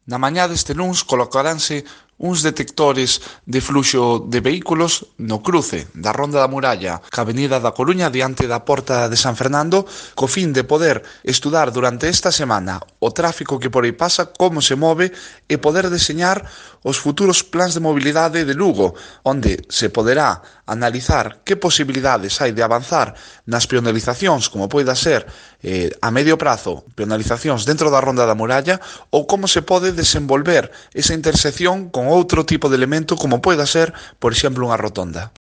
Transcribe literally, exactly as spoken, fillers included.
Na mañá deste luns colocaranse uns detectores de fluxo de vehículos no cruce da Ronda da Muralla ca Avenida da Coruña diante da Porta de San Fernando co fin de poder estudar durante esta semana o tráfico que por aí pasa, como se move e poder deseñar os futuros plans de mobilidade de Lugo, onde se poderá analizar que posibilidades hai de avanzar nas peonalizacións, como poida ser eh, a medio prazo, peonalizacións dentro da Ronda da Muralla, ou como se pode desenvolver esa intersección con outro tipo de elemento como poida ser, por exemplo, unha rotonda.